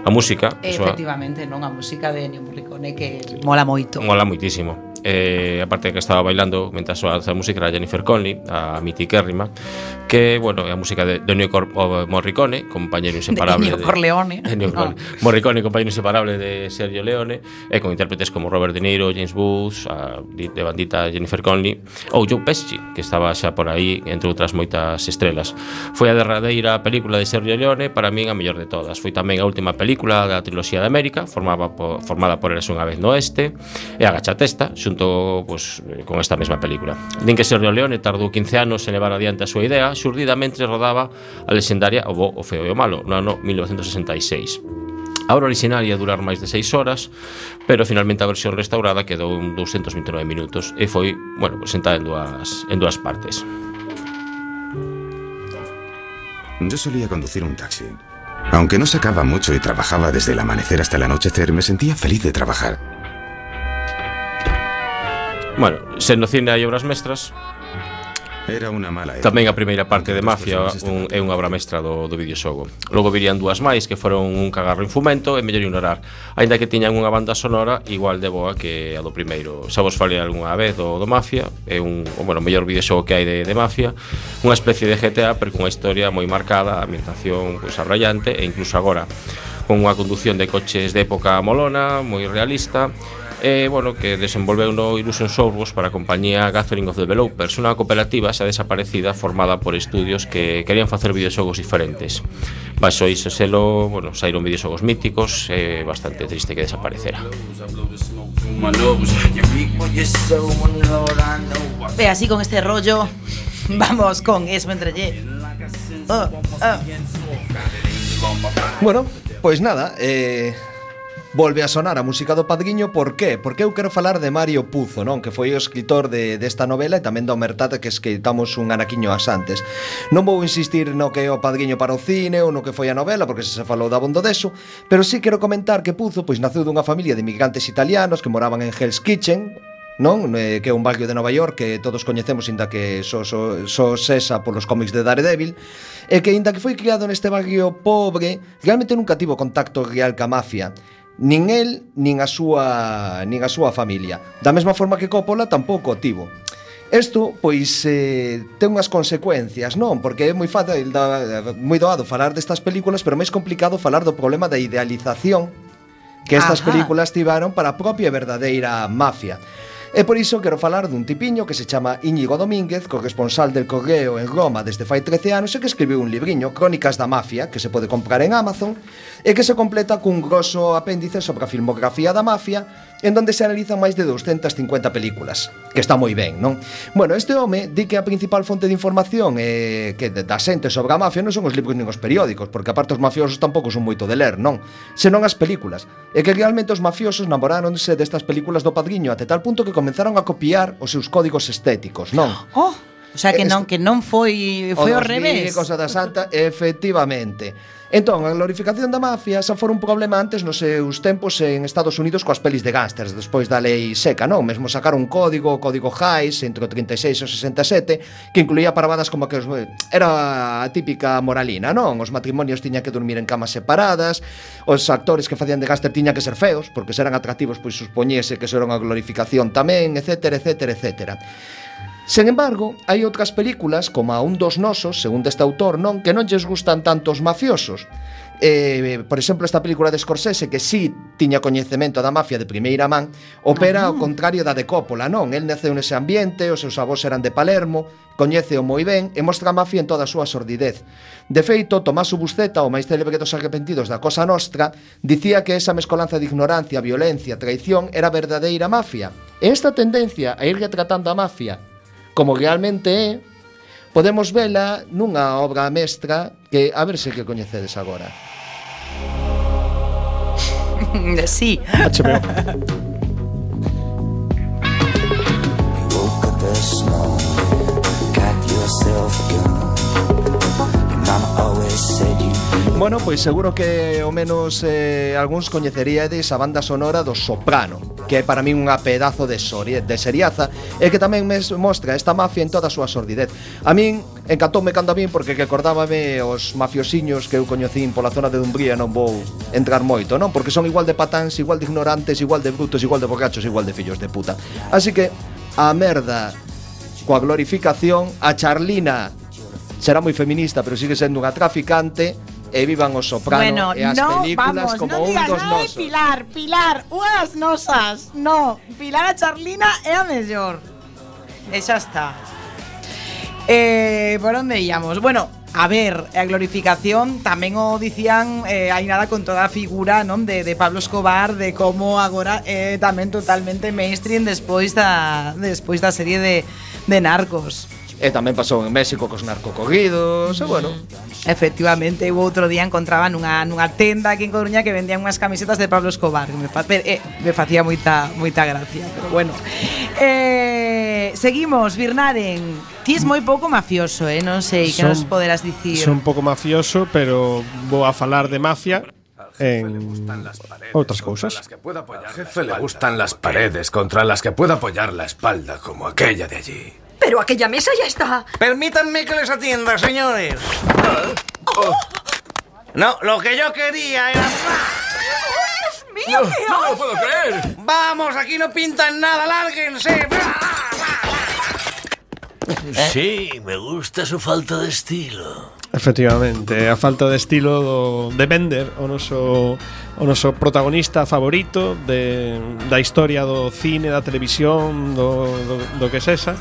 A música, efectivamente, non, a música de Ennio Morricone, que mola moito. Mola moitísimo. Aparte de que estaba bailando mentras soa a música era Jennifer Connelly, a mitiquérrima, que, bueno, é a música de Ennio Morricone, compañeiro inseparable de Ennio Corleone. Morricone, compañero inseparable de Sergio Leone, e con intérpretes como Robert De Niro, James Woods, a de bandita Jennifer Connelly, ou Joe Pesci, que estaba xa por aí entre outras moitas estrelas. Foi a derradeira película de Sergio Leone, para min a mellor de todas. Foi tamén a última película da triloxía de América, formada por Érase unha vez no Oeste, e agacha a testa, xunto pues, con esta mesma película. Din que Sergio Leone tardou 15 anos en levar adiante a súa idea, xurdida mentre rodaba a lexendaria O bo, o feo e o malo, no ano 1966. A obra original ia durar máis de 6 horas, pero finalmente a versión restaurada quedou en 229 minutos e foi, bueno, presentada en dúas partes. Yo solía conducir un taxi. Aunque no sacaba mucho y trabajaba desde el amanecer hasta el anochecer, me sentía feliz de trabajar. Bueno, sen no cine hai obras mestras, Era unha mala época. Tamén a primeira parte de Mafia é unha obra mestra do videoxogo. Logo virían dúas máis que foron un cagarro en fumento e mellor ignorar. Aínda que tiñan unha banda sonora igual de boa que a do primeiro. Xa vos falei algunha vez do Mafia, é o mellor videoxogo que hai de Mafia, unha especie de GTA pero cunha historia moi marcada, a ambientación abrallante e incluso agora con unha conducción de coches de época molona, moi realista. Que desenvolveu no Illusion Softworks para a compañía Gathering of Developers, unha cooperativa xa desaparecida formada por estudios que querían facer videoxogos diferentes. Baixo iso selo, saíron videoxogos míticos, é bastante triste que desaparecera. Ve así con este rollo, vamos con Esmendrellé. Bueno, pois nada, volve a sonar a música do Padriño. Por qué? Porque eu quero falar de Mario Puzo, non? Que foi o escritor desta novela e tamén do Omertata que escritamos un anaquiño as antes. Non vou insistir no que é o Padriño para o cine ou no que foi a novela, porque se falou da abondo deso, pero sí quero comentar que Puzo pois naceu dunha familia de inmigrantes italianos que moraban en Hell's Kitchen, non? Que é un barrio de Nova York que todos coñecemos, inda que só sesa polos cómics de Daredevil, e que inda que foi criado neste barrio pobre, realmente nunca tivo contacto real ca mafia. Nin el, nin a súa familia. Da mesma forma que Coppola tampouco o tivo. Isto, pois, ten unhas consecuencias, non? Porque é moi fácil, moi doado falar destas películas, pero máis complicado falar do problema da idealización que estas películas tiveron para a propia e verdadeira mafia. E por iso quero falar dun tipiño que se chama Íñigo Domínguez, corresponsal del Correo en Roma desde fai 13 anos e que escribiu un libriño, Crónicas da Mafia, que se pode comprar en Amazon e que se completa cun grosso apéndice sobre a filmografía da mafia, en donde se analizan máis de 250 películas, que está moi ben, non? Bueno, este home di que a principal fonte de información que da xente sobre a mafia non son os libros nin os periódicos, porque aparte os mafiosos tampouco son moito de ler, non? Senón as películas, e que realmente os mafiosos namoráronse destas películas do Padriño até tal punto que comenzaron a copiar os seus códigos estéticos, non? O sea, que non foi ao revés. Cosa da Santa, efectivamente. Entón, a glorificación da mafia xa fora un problema antes nos seus tempos en Estados Unidos coas pelis de gángsters, despois da lei seca, non? Mesmo sacaron un código, o código Hays, entre o 36 e o 67, que incluía parvadas como que era a típica moralina, non? Os matrimonios tiñan que dormir en camas separadas, os actores que facían de gángster tiñan que ser feos, porque se eran atractivos, pois supoñese que eso era unha glorificación tamén, etcétera, etcétera, etcétera. Sen embargo, hai outras películas, como a Un dos nosos, segundo este autor, non, que non lles gustan tanto os mafiosos. Por exemplo, esta película de Scorsese, que sí tiña coñecemento da mafia de primeira man, opera ao contrario da de Coppola, non? El naceu nese ambiente, os seus avós eran de Palermo, coñéceo moi ben e mostra a mafia en toda a súa sordidez. De feito, Tommaso Buscetta, o máis célebre dos arrepentidos da Cosa Nostra, dicía que esa mescolanza de ignorancia, violencia, traición era a verdadeira mafia. E esta tendencia a ir retratando a mafia como realmente é, podemos vela nunha obra mestra que a ver se que coñecedes agora. Sí. HBO. Bueno, pois seguro que ao menos algúns coñeceríades a banda sonora do Soprano, que é para min unha pedazo de seriaza e que tamén mostra esta mafia en toda a súa sordidez. A min encantoume cando a min porque recordábame os mafiosiños que eu coñecín pola zona de Dumbría, non vou entrar moito, non? Porque son igual de patáns, igual de ignorantes, igual de brutos, igual de borrachos, igual de fillos de puta. Así que a merda coa glorificación, a Charlina será moi feminista, pero sigue sendo unha traficante. E vivan os Soprano e as películas como Un dos nosos. Pilar, unhas nosas. No, Pilar a Charlina é a mellor. E xa está. Por onde íamos? Bueno, a ver, a glorificación tamén o dicían hai nada con toda a figura, non, de Pablo Escobar, de como agora é tamén totalmente mainstream despois da serie de Narcos. E tamén pasou en México cos narcocorridos, e bueno. Efectivamente, o outro día encontraba nunha tenda aquí en Coruña que vendían unhas camisetas de Pablo Escobar, que me facía moita gracia, pero bueno. Seguimos, Birnaren. Ti es moi pouco mafioso, non sei, que nos poderás dicir. Son un pouco mafioso, pero vou a falar de mafia en outras cousas. Al jefe le gustan las paredes contra las que pueda apoyar la espalda, como aquella de allí. Pero aquella mesa ya está. Permítanme que les atienda, señores. No, lo que yo quería era... ¡Dios mío! No lo puedo creer. Vamos, aquí no pintan nada, lárguense. Sí, me gusta su falta de estilo. Efectivamente, a falta de estilo de Bender, o noso protagonista favorito da historia do cine, da televisión, do que sexa.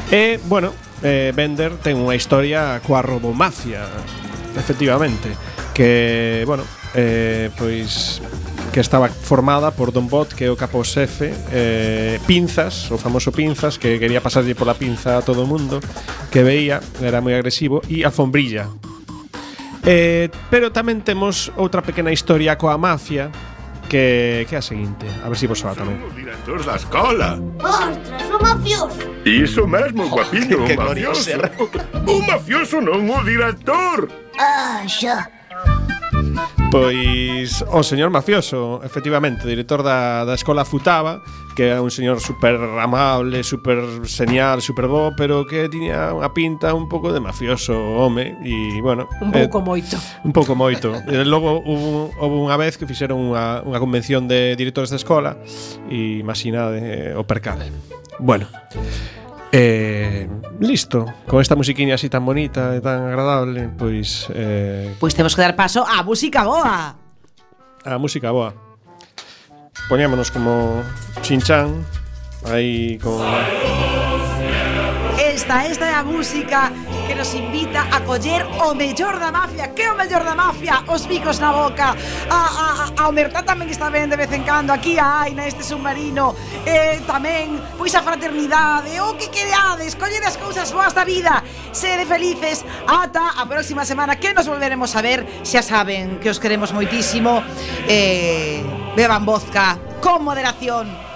E, bueno, Bender ten unha historia coa robomafia, efectivamente, que, bueno, pois que estaba formada por Don Bot, que é o capoxefe, Pinzas, o famoso Pinzas, que quería pasarlle pola pinza a todo o mundo, que veía, era moi agresivo, e Alfombrilla. Pero tamén temos outra pequena historia coa mafia, que é a seguinte, a ver se vos soa tamén. O director da escola. Ostras, o mafioso. Iso mesmo, guapiño, que o mafioso. O mafioso non o director. Ah, xa. Pois o señor mafioso, efectivamente, director da escola Futaba, que é un señor super amable, super señal, super bo, pero que tiña unha pinta un pouco de mafioso, home, e, bueno, Un pouco moito. Un pouco moito. E logo houve unha vez que fixeron unha convención de directores de escola e imaginade o percal. Bueno, listo. Con esta musiquiña así tan bonita e tan agradable, pois Pois temos que dar paso á música boa. A música boa. Poñámonos como Shin-chan aí con... Esta é a música que nos invita a coller o mellor da mafia. Que é o mellor da mafia? Os bicos na boca. A omertá tamén está ben de vez en cando. Aquí a hai neste submarino. Tamén, pois a fraternidade. O que quereades, collede as cousas boas da vida. Sede felices. Ata a próxima semana que nos volveremos a ver. Xa saben que os queremos moitísimo. Beban vodka con moderación.